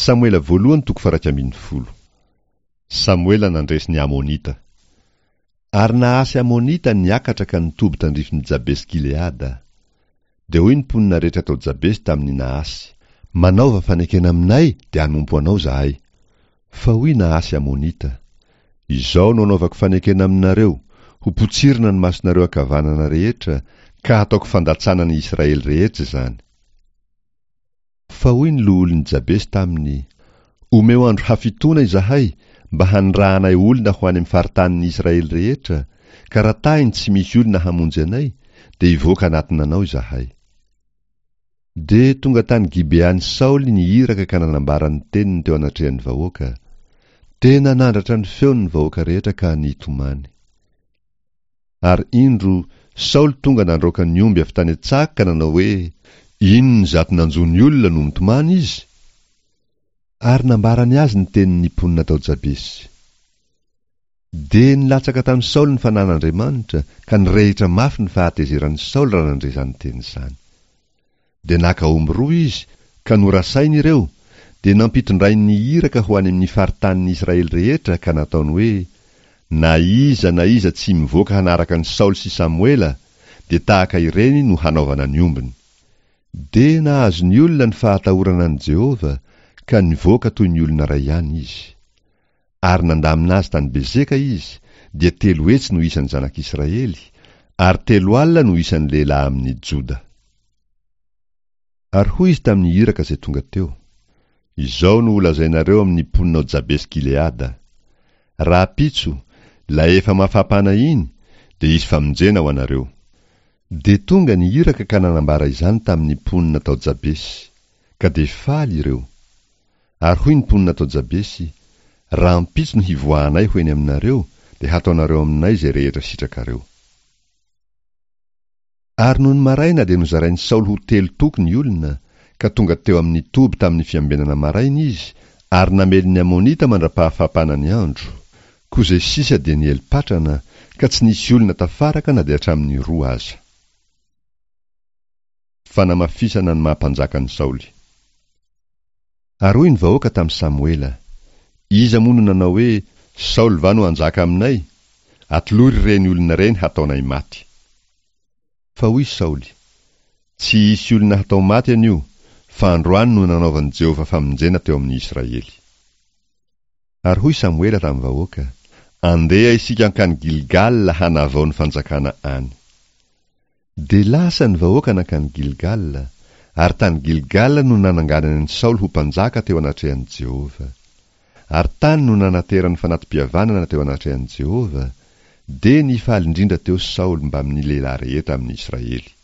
Samoela voalohany toko faha-11. Samoela nandresy ny Amonita. Ary Nahasy Amonita niakatra ka nitoby tandrifin'i Jabesy-Gileada. Dia hoy ny mponina rehetra tao Jabesy tamin'i Nahasy, Manaova fanekena aminay dia hanompo anao izahay. Fa hoy Nahasy Amonita, Izao no anaovako fanekena aminareo, Ho potsirina ny masonareo ankavanana rehetra, ka hataoko fandatsana ny Israely rehetra izany. Fa hoy ny loholon'i Jabesy taminy, Omeo andro hafitoana izahay, mba hanirahanay olona ho any amin'ny faritanin'ny Israely rehetra, ka raha tahiny tsy misy olona hamonjy anay, dia hivoaka hanatona anao izahay. Dia tonga tany Gibean'i Saoly ny iraka ka nanambara ny teniny teo anatrehan'ny vahoaka. Dia nanandratra ny feony ny vahoaka rehetra ka nitomany. Ary indro, Saoly tonga nandroaka ny omby avy tany an-tsaha ka nanao hoe, Inona izato nanjo ny olona no mitomany izy? Ary nambarany azy ny tenin'ny mponina tao Jabesy. Dia nilatsaka tamin'i Saoly ny fanan'Andriamanitra, ka nirehitra mafy ny fahatezeran'i Saoly raha nandre izany teny izany. Dia naka omby roa izy, ka norasainy ireo, dia nampitondrainy ny iraka ho any amin'ny faritanin'i Israely rehetra, ka nataony hoe, Na iza na iza tsy mivoaka hanaraka an'i Saoly sy Samoela, dia tahaka ireny no hanaovana ny ombiny. Dia nahazo ny olona ny fahatahorana an'i Jehovah, ka nivoaka toy ny olona iray ihany izy. Ary nandamina azy tany Bezeka izy, dia 300 no isan'ny zanak'Israely, ary 40 no isan'ny lehilahy amin'ny Joda. Ary hoy izy tamin'ny iraka izay tonga teo, Izao no holazainareo amin'ny mponina ao Jabesy-Gileada, Rahampitso, ilay efa mafapana iny, dia hisy famonjena ho anareo. Dia tonga ny iraka ka nanambara izany tamin'ny mponina tao Jabesy, ka dia faly ireo. Ary hoy ny mponina tao Jabesy, Rahampitso no hivoahanay ho eny aminareo, dia hataonareo aminay izay rehetra sitrakareo. Ary nony maraina dia nozarain'i Saoly ho telo toko ny olona, ka tonga teo amin'ny toby tamin'ny fiambenana maraina izy, ary namely ny Amonita mandra-pahafapana ny andro. Koa izay sisa dia niely patrana, ka tsy nisy olona tafaraka na dia hatramin'ny roa aza. Fanamafisana ny maha mpanjaka an'i Saoly. Ary hoy ny vahoaka tamin'i Samoela, Iza moa no nanao hoe, Saoly va no hanjaka aminay? Atolory ireny olona ireny hataonay maty. Fa hoy Saoly, Tsy hisy olona hatao maty anio, fa androany no nanaovan'i Jehovah famonjena teo amin'ny Israely. Ary hoy Samoela tamin'ny vahoaka, Andeha isika hankany Gilgala hanavao ny fanjakana any. Dia lasa ny vahoaka nankany Gilgala, ary tany Gilgala no nananganany an'i Saoly ho mpanjaka teo anatrehan'i Jehovah. Ary tany no nanaterany fanati-pihavanana teo anatrehan'i Jehovah, dia nifaly indrindra teo Saoly mbamin'ny lehilahy rehetra amin'i Israely.